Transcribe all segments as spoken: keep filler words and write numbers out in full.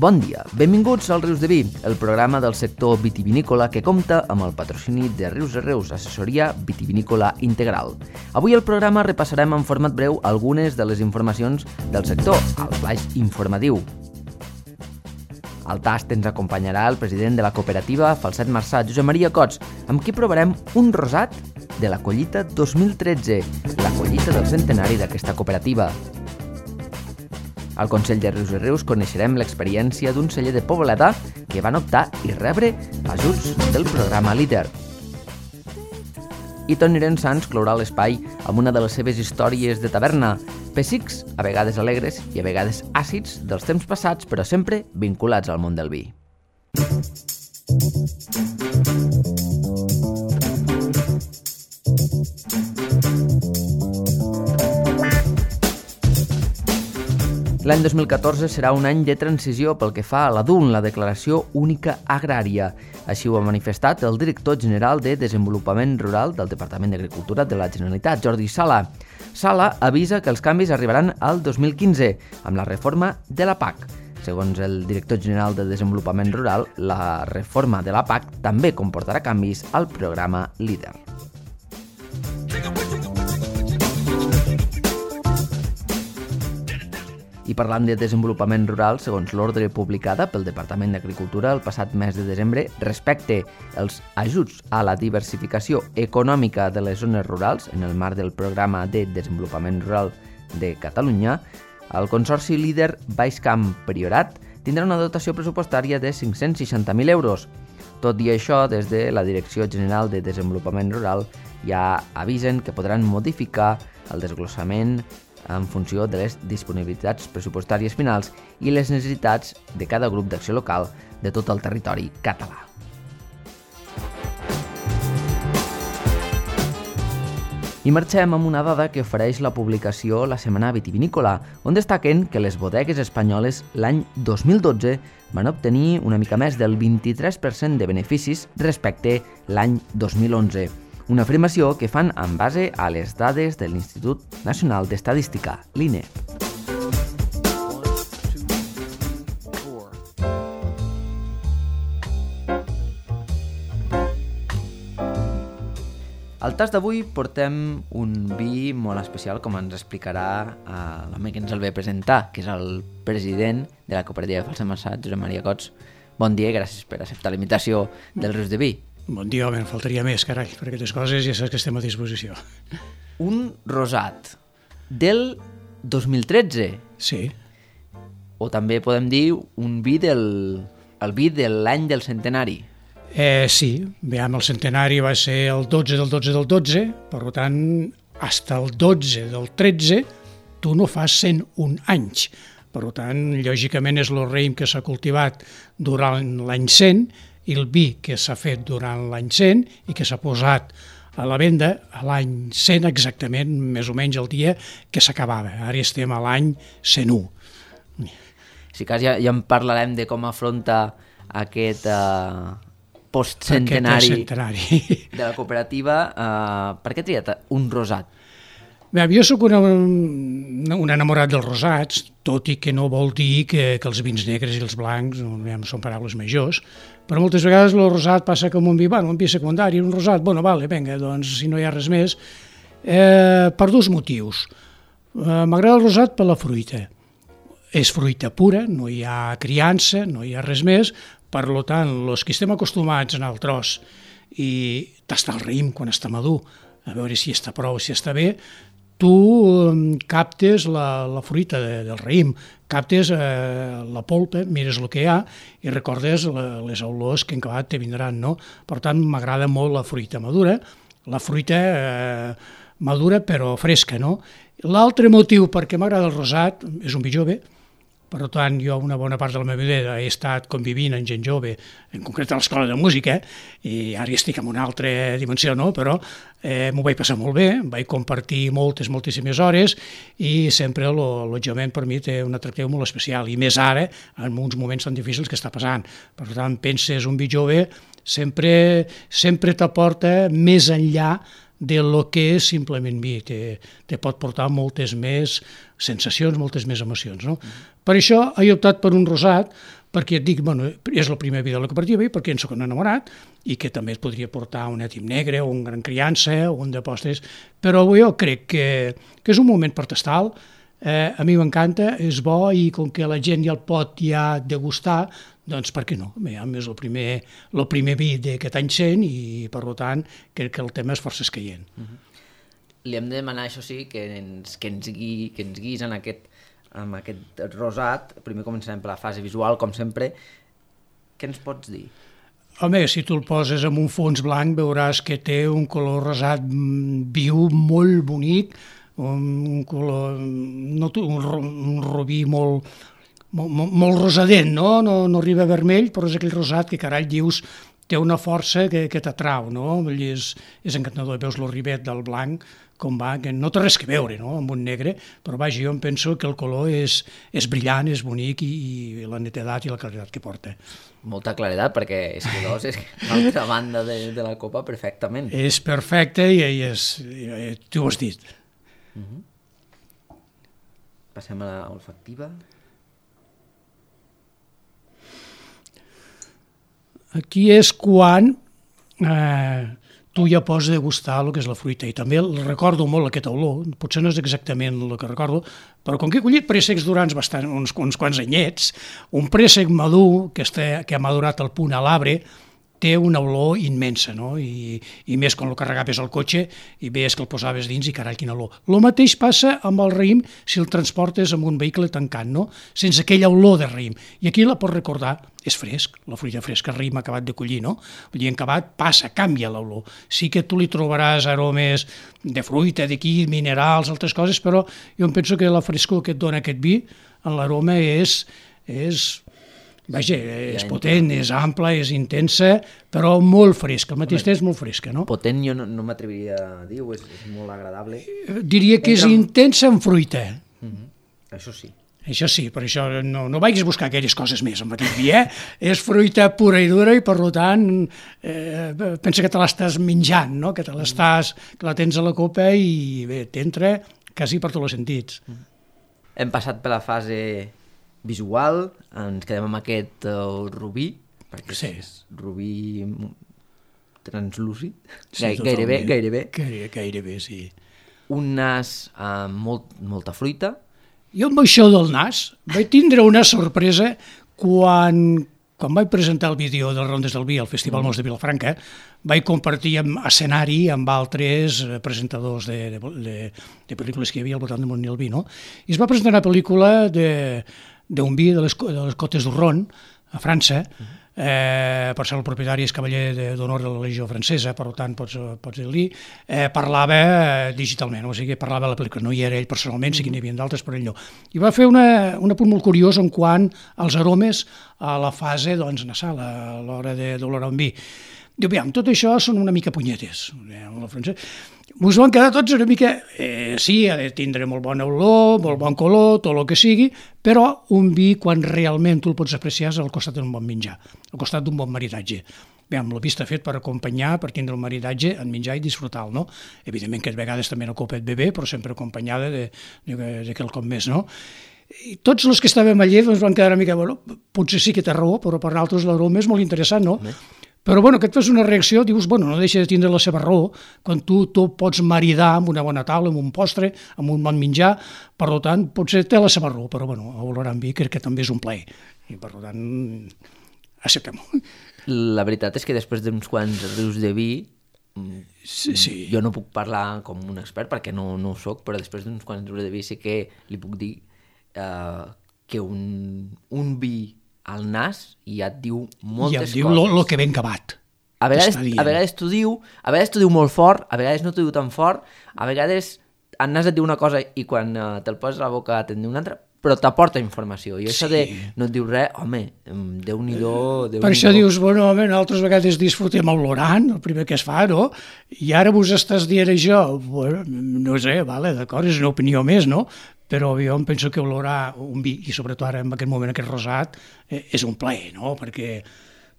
Bon dia, benvinguts al Rius de Vi, el programa del sector vitivinícola que compta amb el patrocini de Rius de Reus, assessoria vitivinícola integral. Avui al programa repassarem en format breu algunes de les informacions del sector, al flaix informatiu. Al tast ens acompanyarà el president de la cooperativa Falset Marçà, Josep Maria Cots, amb qui provarem un rosat de la collita dos mil tretze, la collita del centenari d'aquesta cooperativa. Al Consell de Rius i Rius coneixerem l'experiència d'un celler de Poblet que van optar i rebre ajuts del programa Líder. I Toni Llorens clourà l'espai amb una de les seves històries de taverna, pessics, a vegades alegres i a vegades àcids dels temps passats, però sempre vinculats al món del vi. L'any dos mil catorze serà un any de transició pel que fa a la D U N, la Declaració Única Agrària. Així ho ha manifestat el director general de Desenvolupament Rural del Departament d'Agricultura de la Generalitat, Jordi Sala. Sala avisa que els canvis arribaran al dos mil quinze, amb la reforma de la P A C. Segons el director general de Desenvolupament Rural, la reforma de la P A C també comportarà canvis al programa Líder. I parlant de desenvolupament rural, segons l'ordre publicada pel Departament d'Agricultura el passat mes de desembre, respecte als ajuts a la diversificació econòmica de les zones rurals en el marc del Programa de Desenvolupament Rural de Catalunya, el Consorci Líder Baix Camp Priorat tindrà una dotació pressupostària de cinc-cents seixanta mil euros. Tot i això, des de la Direcció General de Desenvolupament Rural ja avisen que podran modificar el desglossament en funció de les disponibilitats pressupostàries finals i les necessitats de cada grup d'acció local de tot el territori català. I marxem amb una dada que ofereix la publicació La Setmana Vitivinícola, on destaquen que les bodegues espanyoles l'any dos mil dotze van obtenir una mica més del vint-i-tres per cent de beneficis respecte l'any dos mil onze. Una afirmació que fan en base a les dades de l'Institut Nacional d'Estadística, l'I N E. Al tast d'avui portem un vi molt especial, com ens explicarà l'home que ens el ve presentar, que és el president de la cooperativa Falset Marçà, Josep Maria Cots. Bon dia i gràcies per acceptar la invitació del Rius de Vi. Bon dia, home, en faltaria més, carai, per aquestes coses ja saps que estem a disposició. Un rosat del dos mil tretze. Sí. O també podem dir un vi del... el vi de l'any del centenari. Eh, sí, veiem, el centenari va ser el dotze del dotze del dotze, per tant, fins el dotze del tretze tu no fas cent un anys. Per tant, lògicament és el raïm que s'ha cultivat durant l'any cent i el vi que s'ha fet durant l'any cent i que s'ha posat a la venda a l'any cent exactament, més o menys el dia que s'acabava. Ara estem a l'any cent u. Si cas ja, ja en parlarem de com afronta aquest uh, postcentenari aquest de la cooperativa. Uh, per què ha triat un rosat? Bé, jo soc una, un enamorat dels rosats, tot i que no vol dir que, que els vins negres i els blancs bé, són paraules majors, però moltes vegades el rosat passa com un vi, bueno, un vi secundari, un rosat, bueno, vale, vinga, doncs si no hi ha res més, eh, per dos motius. Eh, M'agrada el rosat per la fruita. És fruita pura, no hi ha criança, no hi ha res més, per tant, els que estem acostumats en el tros i tastar el raïm quan està madur, a veure si està prou, si està bé, tu captes la, la fruita de, del raïm, captes eh, la polpa, mires el que hi ha i recordes la, les olors que en acabat te vindran, no? Per tant, m'agrada molt la fruita madura, la fruita eh, madura però fresca, no? L'altre motiu perquè m'agrada el rosat és un vi jove. Per tant, jo una bona part de la meva vida he estat convivint amb gent jove, en concret a l'escola de música, i ara estic en una altra dimensió, no? Però eh, m'ho vaig passar molt bé, vaig compartir moltes, moltíssimes hores, i sempre l'allotjament per mi té un atractiu molt especial, i més ara, en uns moments tan difícils que està passant. Per tant, penses un vi jove, sempre, sempre t'aporta més enllà de lo que és simplement vi, te, te pot portar moltes més sensacions, moltes més emocions, no? Mm. Per això he optat per un rosat, perquè et dic, bueno, és el primer vi de la cooperativa i perquè en soc un enamorat i que també et podria portar un etim negre o un gran criança o un de postres, però jo crec que, que és un moment per tastar-lo. Eh, a mi m'encanta, és bo i com que la gent ja el pot ja degustar, doncs per què no? Bé, és el primer, el primer vi d'aquest any cent i per tant crec que el tema és força escaient. Uh-huh. Li hem de demanar, això sí, que ens, que ens, gui, que ens guis en aquest, en aquest rosat. Primer començarem per la fase visual, com sempre. Què ens pots dir? Home, si tu el poses amb un fons blanc veuràs que té un color rosat viu, molt bonic, un color, no, un, un rubí molt, molt, molt rosadent, no? No, no arriba a vermell, però és aquell rosat que, carai, dius, té una força que, que t'atrau, no? És, és encantador, veus el rivet del blanc, com va, que no té res que veure, no?, amb un negre, però vaja, jo em penso que el color és, és brillant, és bonic i, i la netedat i la claredat que porta. Molta claredat, perquè és que dos és l'altra banda de, de la copa perfectament. És perfecte i, i és, i, tu ho has dit. Uh-huh. Passem a l'olfactiva. Aquí és quan eh, tu ja pots degustar el que és la fruita i també recordo molt aquest olor, potser no és exactament el que recordo, però com que he collit préssecs durants bastant, uns, uns quants anyets, un préssec madur que, està, que ha madurat al punt a l'arbre té una olor immensa, no? I, i més quan el carregaves al cotxe i veies que el posaves dins i carai, quina olor. El mateix passa amb el raïm si el transportes amb un vehicle tancat, no? Sense aquella olor de raïm. I aquí la pots recordar, és fresc, la fruita fresca, el raïm acabat de collir, no? Vull dir, en acabat passa, canvia l'olor. Sí que tu li trobaràs aromes de fruita, d'aquí, minerals, altres coses, però jo em penso que la frescor que et dona aquest vi, en l'aroma és... és Vaja, és potent, és ampla, és intensa, però molt fresca, al mateix temps molt fresca, no? Potent jo no, no m'atreviria a dir, és, és molt agradable. Diria que és intensa en fruita. Uh-huh. Això sí. Això sí, per això no, no vagis a buscar aquelles coses més amb aquest vi, eh? És fruita pura i dura i, per tant, eh, pensa que te l'estàs menjant, no? Que te l'estàs, que la tens a la copa i bé, t'entra quasi per tots els sentits. Uh-huh. Hem passat per la fase visual, ens quedem amb aquest uh, rubí, perquè sí. És rubí translúcid, sí, Gai, gairebé, gairebé. Gairebé, gairebé, sí. Un nas amb molt, molta fruita. Jo amb això del nas vaig tindre una sorpresa quan, quan vaig presentar el vídeo de les Rondes del Vi al Festival mm. Mos de Vilafranca, vaig compartir amb escenari amb altres presentadors de, de, de, de pel·lícules que hi havia al voltant del món del vi, no? I es va presentar una pel·lícula de d'un vi de les, de les Cotes d'Urron, a França, eh, per ser el propietari és cavaller d'honor de la Legió Francesa, per tant, pots, pots dir-li, eh, parlava digitalment, o sigui, parlava la pel·lícula, no hi era ell personalment, sí que n'hi havia d'altres, però ell no. I va fer una, un apunt molt curiós en quant als aromes a la fase doncs, nasal, a l'hora d'olorar un vi. Diu, aviam, tot això són una mica punyetes, la francesa. Ens van quedar tots una mica, eh, sí, ha de tindre molt bona olor, molt bon color, tot el que sigui, però un vi, quan realment tu el pots apreciar, és al costat d'un bon menjar, al costat d'un bon maridatge. Bé, amb la vista fet per acompanyar, per tindre el maridatge en menjar i disfrutar-lo, no? Evidentment que a vegades també una copet bebé, però sempre acompanyada de, de, de quelcom més, no? I tots els que estàvem allà doncs, van quedar una mica, bueno, potser sí que té raó, però per altres l'aroma és molt interessant, no? Bé. Però bueno, que et fas una reacció, dius, bueno, no deixa de tindre la seva raó, quan tu, tu pots maridar amb una bona taula, amb un postre, amb un bon menjar, per tant, potser té la seva raó, però bueno, a olorar amb vi crec que també és un plaer, i per tant, acceptem-ho. La veritat és que després d'uns quants rius de vi, sí, sí. Jo no puc parlar com un expert perquè no, no ho soc, però després d'uns quants rius de vi sí que li puc dir eh, que un, un vi al nas i ja et diu moltes coses. I et diu el que ben acabat. A vegades, a vegades t'ho diu, a vegades t'ho diu molt fort, a vegades no t'ho diu tan fort, a vegades el nas et diu una cosa i quan uh, te'l poses a la boca te'n diu una altra, però t'aporta informació. I això sí. de no et diu res, home, Déu-n'hi-do... Déu per això dius, bueno, home, altres vegades disfrutem olorant, el primer que es fa, no? I ara vos estàs dient això, bueno, no sé, vale, d'acord, és una opinió més, no? Però jo em penso que olorar un vi, i sobretot ara en aquest moment aquest rosat, eh, és un plaer, no? Perquè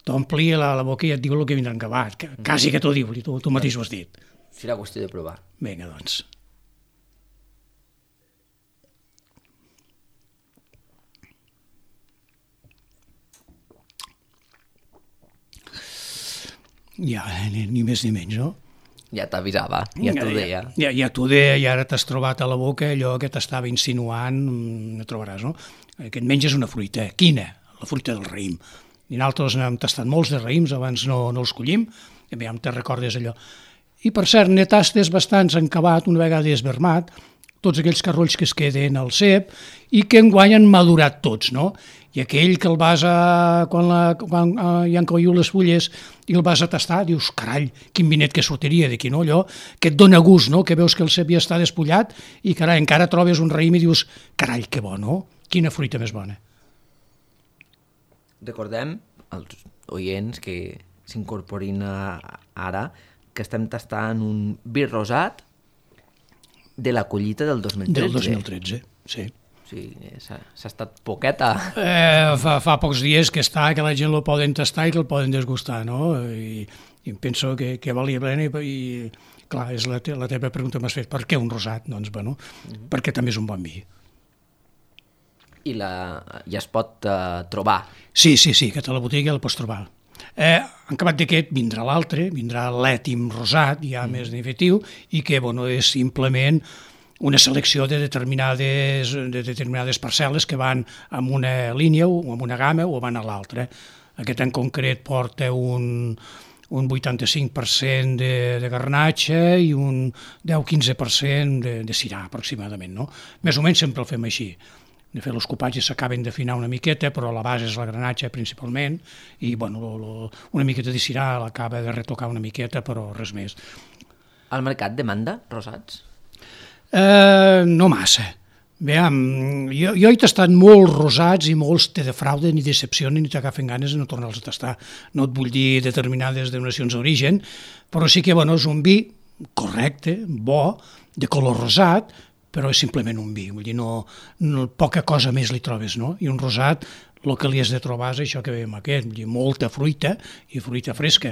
t'ompli la, la boca i et diu el que vindrà en acabat, que, quasi que t'ho diu, tu, tu mateix ho has dit. Serà qüestió de provar. Vinga, doncs. Ja, ni, ni més ni menys, no? Ja t'avisava, ja t'ho deia. Ja, ja, ja t'ho deia i ara t'has trobat a la boca allò que t'estava insinuant, no trobaràs, no? Que et menges una fruita. Quina? La fruita del raïm. I nosaltres n'hem tastat molts de raïms, abans no, no els collim, i bé, te recordes allò. I per cert, ne tastes bastants encabat, una vegada esvermat, tots aquells carrolls que es queden al cep i que enguany han madurat tots, no? I aquell que el vas a... quan, la, quan uh, hi han coigut les fulles i el vas a tastar, dius, carai, quin vinet que sortiria d'aquí, no? Allò que et dona gust, no? Que veus que el cep ja està despullat i, carai, encara trobes un raïm i dius, carai, que bo, no? Quina fruita més bona. Recordem als oients que s'incorporin ara que estem tastant un vi rosat de la collita del dos mil tretze. Del dos mil tretze, sí. Sí, s'ha estat poqueta. Eh, fa, fa pocs dies que està, que la gent lo poden tastar i que el poden desgustar, no? I, i penso que, que valia plena i, i clar, és la, te, la teva pregunta m'has fet, per què un rosat? Doncs, bueno, mm-hmm. perquè també és un bon vi. I la, ja es pot uh, trobar? Sí, sí, sí, que a la botiga la pots trobar. Eh, en acabat d'aquest vindrà l'altre, vindrà l'ètim rosat, ja mm. més definitiu, i que bueno, és simplement una selecció de determinades, de determinades parcel·les que van en una línia o en una gamma o van a l'altra. Aquest en concret porta un, un vuitanta-cinc per cent de, de garnatxa i un deu a quinze per cent de, de cirà, aproximadament. No? Més o menys sempre el fem així. De fet, els copatges s'acaben d'afinar una miqueta, però la base és la granatxa principalment, i bueno, lo, lo, una miqueta de cirà l'acaba de retocar una miqueta, però res més. Al mercat demanda rosats? Eh, no massa. Veam, jo, jo he tastat molts rosats i molts te defrauden i decepcionen i t'agafen ganes de no tornar-los a tastar. No et vull dir determinades denominacions d'origen, però sí que bueno, és un vi correcte, bo, de color rosat, però és simplement un vi, vull dir, no, no, poca cosa més li trobes, no? I un rosat, el que li has de trobar és això que veiem aquest, vull dir, molta fruita i fruita fresca.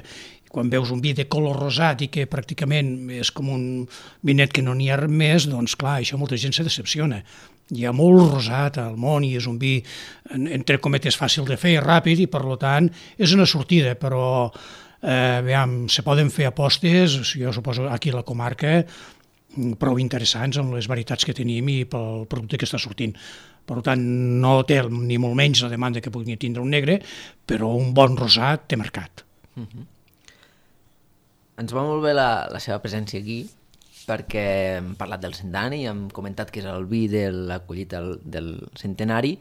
Quan veus un vi de color rosat i que pràcticament és com un vinet que no n'hi ha res més, doncs clar, això molta gent se decepciona. Hi ha molt rosat al món i és un vi, entre cometes, fàcil de fer, ràpid, i per tant és una sortida, però eh, veiem, se poden fer apostes, jo suposo aquí a la comarca, prou interessants amb les varietats que tenim i pel producte que està sortint. Per tant, no té ni molt menys la demanda que pugui tindre un negre, però un bon rosat té mercat. Uh-huh. Ens va molt bé la, la seva presència aquí, perquè hem parlat del centenari, hem comentat que és el vi de la collita del, del centenari.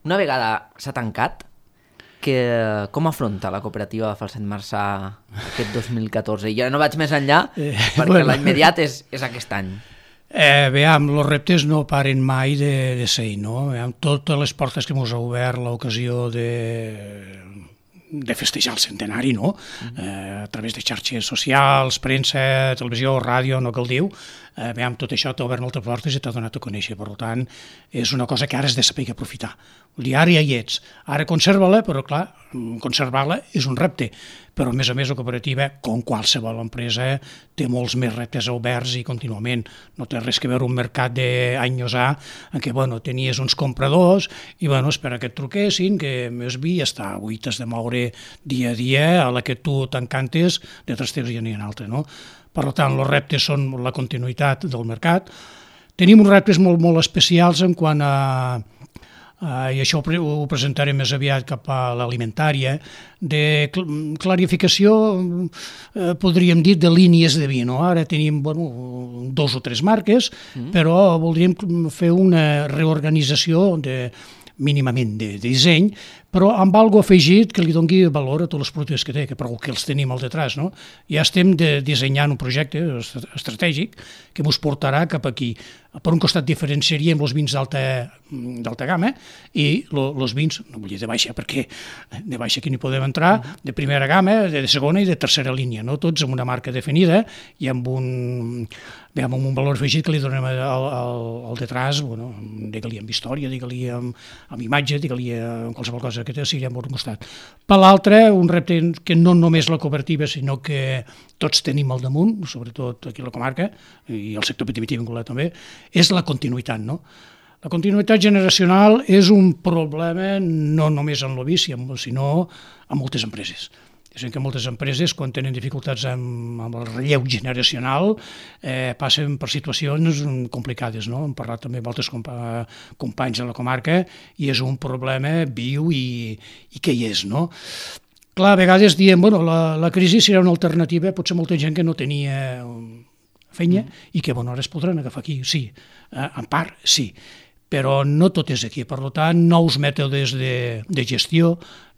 Una vegada s'ha tancat, que, com afronta la cooperativa de Falset Marçà aquest dos mil catorze? Ja no vaig més enllà, eh, perquè bueno, l'immediat és, és aquest any. Eh, veiem, els reptes no paren mai de, de ser, no? Veiem, totes les portes que ens ha obert l'ocasió de, de festejar el centenari, no? Mm-hmm. Eh, a través de xarxes socials, premsa, televisió, ràdio, no cal dir-ho. Eh, veiem, tot això t'ha obert moltes portes i t'ha donat a conèixer, per tant, és una cosa que ara has de saber aprofitar. Vull dir, ara ja hi ets, ara conserva-la, però clar, conservar-la és un repte, però a més a més la cooperativa, com qualsevol empresa, té molts més reptes oberts i contínuament. No té res que veure un mercat d'anys a en què bueno, tenies uns compradors i bueno, espera que et truquessin, que més vi ja està, avui t'has de moure dia a dia, a la que tu t'encantes, de tres temps ja n'hi ha un altre, no? Per tant, els reptes són la continuïtat del mercat. Tenim uns reptes molt, molt especials en quant a Uh, i això ho presentaré més aviat cap a l'alimentària, de clarificació, eh, podríem dir, de línies de vi. No? Ara tenim bueno, dos o tres marques, mm. però voldríem fer una reorganització de, mínimament de, de disseny, però amb algo afegit que li doni valor a tots els productes que té, que prou que els tenim al detrás. No? Ja estem de, dissenyant un projecte estratègic que ens portarà cap aquí. Per un costat diferenciaríem els vins d'alta gamma i els vins, no vull dir de baixa, perquè de baixa aquí n'hi podem entrar, de primera gamma, de segona i de tercera línia, no? Tots amb una marca definida i amb un, bé, amb un valor afegit que li donem al, al, al detrás, bueno, digue-li amb història, digue-li amb, amb imatge, digue-li amb qualsevol cosa que sigui per un costat. Per l'altre, un repte que no només la cooperativa, sinó que tots tenim al damunt, sobretot aquí a la comarca, i el sector vitivinícola també, és la continuïtat, no? La continuïtat generacional és un problema no només en l'oví, sinó en moltes empreses. És a dir, que moltes empreses, quan tenen dificultats amb, amb el relleu generacional, eh, passen per situacions complicades, no? Hem parlat també amb altres compa companys de la comarca i és un problema viu i, i que hi és, no? Clar, a vegades diem, bueno, la, la crisi serà una alternativa, potser molta gent que no tenia feina mm. i que, bueno, ara es podran agafar aquí, sí, eh, en part, sí, però no tot és aquí. Per tant, nous mètodes de, de gestió,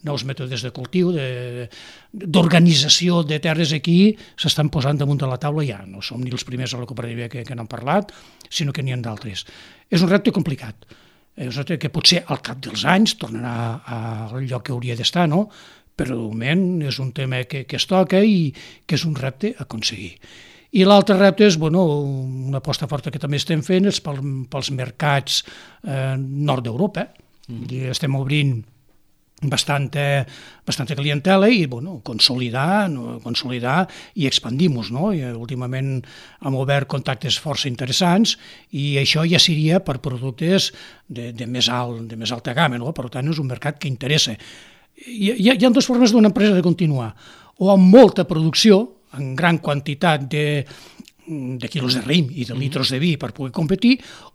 nous mètodes de cultiu, d'organització de, de terres aquí s'estan posant damunt de la taula ja. No som ni els primers a la cooperativa que, que n'han parlat, sinó que n'hi ha d'altres. És un repte complicat. És un repte que potser al cap dels anys tornarà al lloc que hauria d'estar, no? Però de moment és un tema que, que es toca i que és un repte a aconseguir. I l'altre repte és, bueno, una aposta forta que també estem fent és pel, pels mercats eh, nord d'Europa. Mm. Estem obrint bastanta, bastanta clientela i, bueno, consolidar, no, consolidar i expandir-nos, no? I, últimament hem obert contactes força interessants i això ja seria per productes de, de, més, alt, de més alta gamma, no? Per tant, és un mercat que interessa. Hi, hi, ha, hi ha dues formes d'una empresa de continuar, o amb molta producció, en gran quantitat de, de quilos de raïm i de litros de vi per poder competir,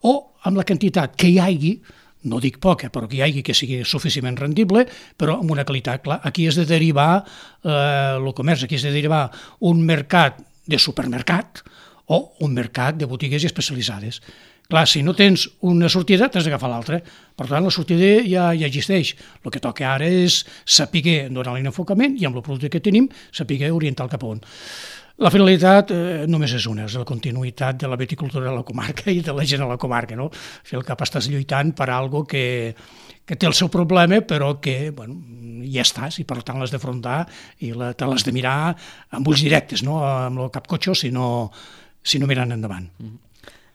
o amb la quantitat que hi hagi, no dic poca, però que hi hagi que sigui suficientment rendible, però amb una qualitat, clar, aquí és de derivar eh, el comerç, aquí és de derivar un mercat de supermercat o un mercat de botigues especialitzades. Clar, si no tens una sortida, t'has d'agafar l'altra. Per tant, la sortida ja, ja existeix. El que toca ara és saber donar-li un enfocament i amb el producte que tenim saber orientar el cap a on. La finalitat eh, només és una, és la continuïtat de la viticultura de la comarca i de la gent a la comarca, no? Al fi al cap estàs lluitant per algo que, que té el seu problema, però que, bueno, ja estàs i per tant l'has d'afrontar i la, te l'has de mirar amb ulls directes, no? Amb el cap cotxo, sinó, sinó mirant endavant. Mm-hmm.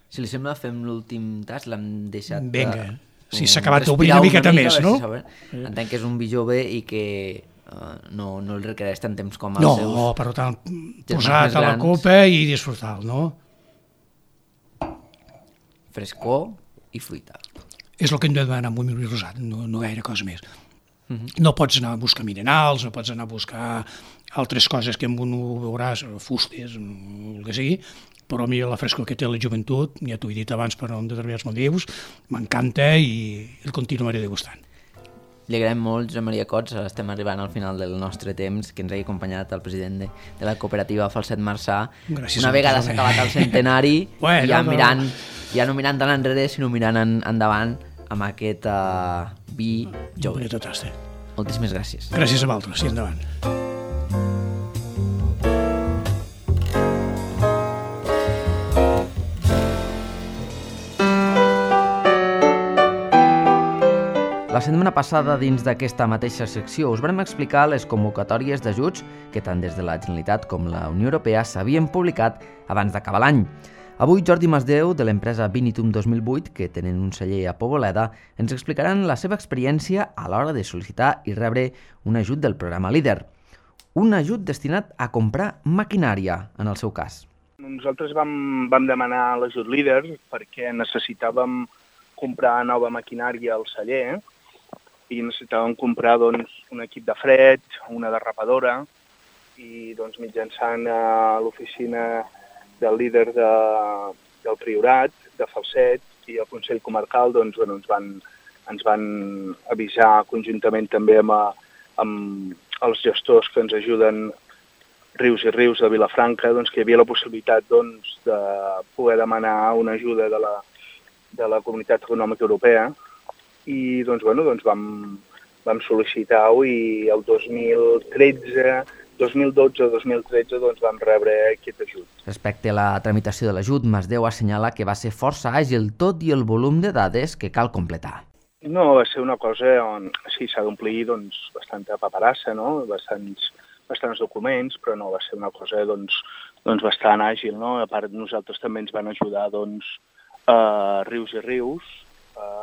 Si li sembla, fem l'últim tas, l'hem deixat... Vinga, si s'ha acabat d'obrir una miqueta més, no? Si entenc que és un vi jove i que uh, no, no el requereix tant temps com els no, seus... No, per tant, posat a la copa i disfrutar-lo, no? Frescor i fruita. És el que hem de demanar amb un vi rosat, no, no gaire cosa més. Uh-huh. No pots anar a buscar minerals, no pots anar a buscar altres coses que amb un ho veuràs, fustes, el que sigui, però a mi la frescor que té la joventut, ja t'ho he dit abans per determinats motius, m'encanta i el continuaré degustant. Li agraïm molt, Josep Maria Cots, estem arribant al final del nostre temps, que ens hagi acompanyat el president de, de la cooperativa Falset Marçà. Gràcies. Una vegada s'ha acabat el centenari, bueno, ja, mirant, ja no mirant tant enrere, sinó mirant en, endavant amb aquest uh, vi jove. Moltíssimes gràcies. Gràcies a vosaltres, i endavant. La setmana passada, dins d'aquesta mateixa secció, us vam explicar les convocatòries d'ajuts que tant des de la Generalitat com la Unió Europea s'havien publicat abans d'acabar l'any. Avui, Jordi Masdeu, de l'empresa Vinitum dos mil vuit, que tenen un celler a Poboleda, ens explicaran la seva experiència a l'hora de sol·licitar i rebre un ajut del programa LEADER. Un ajut destinat a comprar maquinària, en el seu cas. Nosaltres vam, vam demanar l'ajut LEADER perquè necessitàvem comprar nova maquinària al celler i necessitàvem comprar doncs, un equip de fred, una derrapadora i doncs, mitjançant a l'oficina del líder de, del Priorat, de Falset i el Consell Comarcal doncs, bueno, ens, van, ens van avisar conjuntament també amb, a, amb els gestors que ens ajuden Rius i Rius de Vilafranca, doncs, que hi havia la possibilitat doncs, de poder demanar una ajuda de la, de la Comunitat Econòmica Europea i doncs, bueno, doncs vam, vam sol·licitar-ho i el dos mil tretze, dos mil dotze dos mil tretze doncs, vam rebre aquest ajut. Respecte a la tramitació de l'ajut, Masdeu assenyala que va ser força àgil tot i el volum de dades que cal completar. No, va ser una cosa on sí, s'ha d'omplir doncs, bastanta paperassa, no? Bastants, bastants documents, però no, va ser una cosa doncs, doncs bastant àgil, no? A part, nosaltres també ens van ajudar doncs, a Rius i Rius, a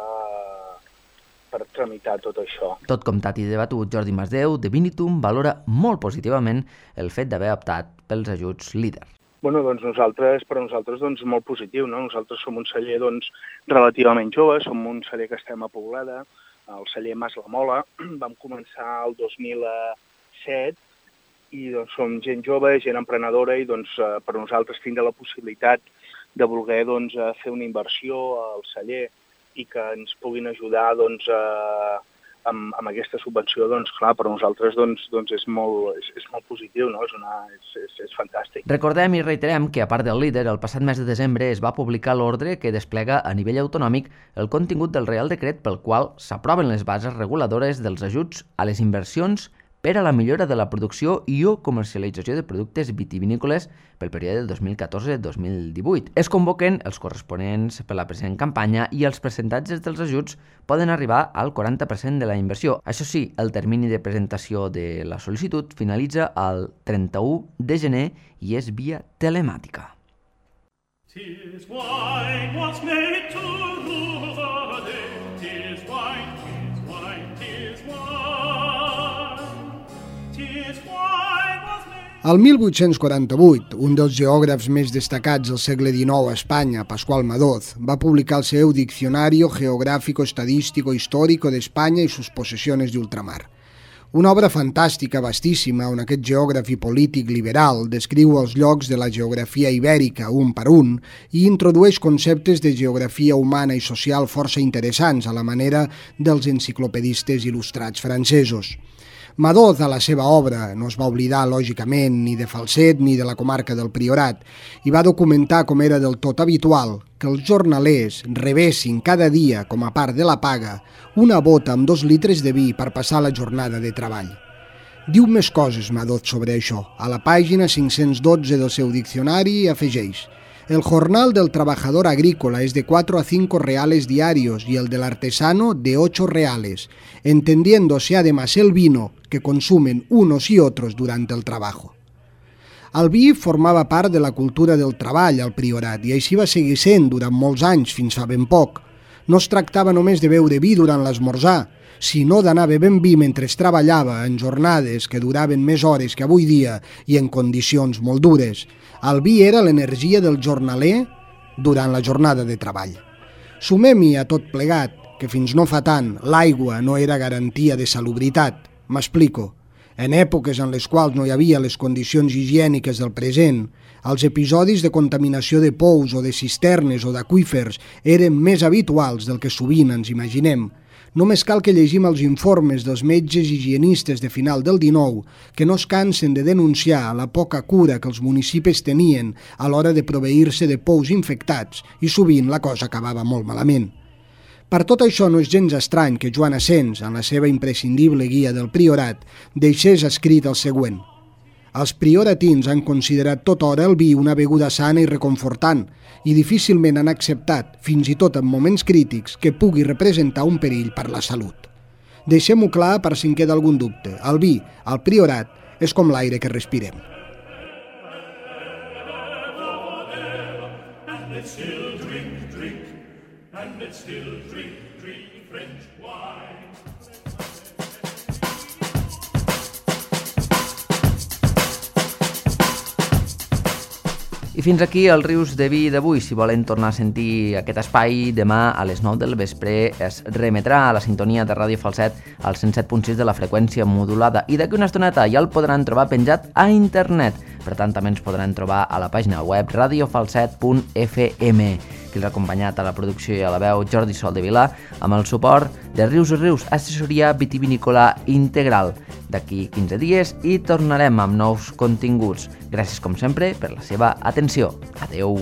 per tramitar tot això. Tot comptat i debatut, Jordi Masdeu, de Vinitum, valora molt positivament el fet d'haver optat pels ajuts LEADER. Bueno, doncs nosaltres, per a nosaltres, doncs, molt positiu, no? Nosaltres som un celler, doncs, relativament jove, som un celler que estem a Poblada, el celler Mas la Mola, vam començar el dos mil set i doncs, som gent jove, gent emprenedora, i doncs, eh, per nosaltres tindre la possibilitat de voler doncs, fer una inversió al celler i que ens puguin ajudar doncs, eh, amb, amb aquesta subvenció, doncs, clar, per nosaltres doncs, doncs és, molt, és, és molt positiu, no? És, una, és, és, és fantàstic. Recordem i reiterem que, a part del líder, el passat mes de desembre es va publicar l'ordre que desplega a nivell autonòmic el contingut del Reial Decret pel qual s'aproven les bases reguladores dels ajuts a les inversions per a la millora de la producció i o comercialització de productes vitivinícoles pel període dos mil catorze dos mil divuit. Es convoquen els corresponents per la present campanya i els percentatges dels ajuts poden arribar al quaranta per cent de la inversió. Això sí, el termini de presentació de la sol·licitud finalitza el trenta-u de gener i és via telemàtica. Tis wine was made to rule the day. Tis wine, tis wine, tis wine. El mil vuit-cents quaranta-vuit, un dels geògrafs més destacats del segle dinou a Espanya, Pascual Madoz, va publicar el seu Diccionario Geográfico Estadístico Histórico de España y sus posesiones de ultramar. Una obra fantàstica, vastíssima, on aquest geògraf i polític liberal descriu els llocs de la geografia ibèrica un per un i introdueix conceptes de geografia humana i social força interessants a la manera dels enciclopedistes il·lustrats francesos. Madoz, a la seva obra, no es va oblidar, lògicament, ni de Falset ni de la comarca del Priorat, i va documentar com era del tot habitual que els jornalers rebessin cada dia, com a part de la paga, una bota amb dos litres de vi per passar la jornada de treball. Diu més coses, Madoz, sobre això. A la pàgina cinc-cents dotze del seu diccionari afegeix: el jornal del trabajador agrícola es de cuatro a cinco reales diarios y el del artesano de ocho reales, entendiéndose además el vino que consumen unos y otros durante el trabajo. El vi formava part de la cultura del treball al Priorat i així va seguir sent durant molts anys, fins fa ben poc. No es tractava només de beure vi durant l'esmorzar, sinó d'anar bevent vi mentre es treballava en jornades que duraven més hores que avui dia i en condicions molt dures. El vi era l'energia del jornaler durant la jornada de treball. Sumem-hi a tot plegat que fins no fa tant l'aigua no era garantia de salubritat. M'explico. En èpoques en les quals no hi havia les condicions higièniques del present, els episodis de contaminació de pous o de cisternes o d'aqüífers eren més habituals del que sovint ens imaginem. Només cal que llegim els informes dels metges higienistes de final del dinou que no es cansen de denunciar la poca cura que els municipis tenien a l'hora de proveir-se de pous infectats i sovint la cosa acabava molt malament. Per tot això no és gens estrany que Joan Asens, en la seva imprescindible guia del Priorat, deixés escrit el següent: els prioratins han considerat tota hora el vi una beguda sana i reconfortant i difícilment han acceptat, fins i tot en moments crítics, que pugui representar un perill per la salut. Deixem-ho clar per si en queda algun dubte. El vi, al Priorat, és com l'aire que respirem. I fins aquí el Rius de Vi d'avui. Si volen tornar a sentir aquest espai, demà a les nou del vespre es remetrà a la sintonia de Ràdio Falset al cent set punt sis de la freqüència modulada i d'aquí una estoneta ja el podran trobar penjat a internet. Per tant, també ens podran trobar a la pàgina web radio falset punt f m. Qui els ha acompanyat a la producció i a la veu, Jordi Sol de Vilà, amb el suport de Rius i Rius, assessoria vitivinícola integral. D'aquí quinze dies i tornarem amb nous continguts. Gràcies, com sempre, per la seva atenció. Adeu.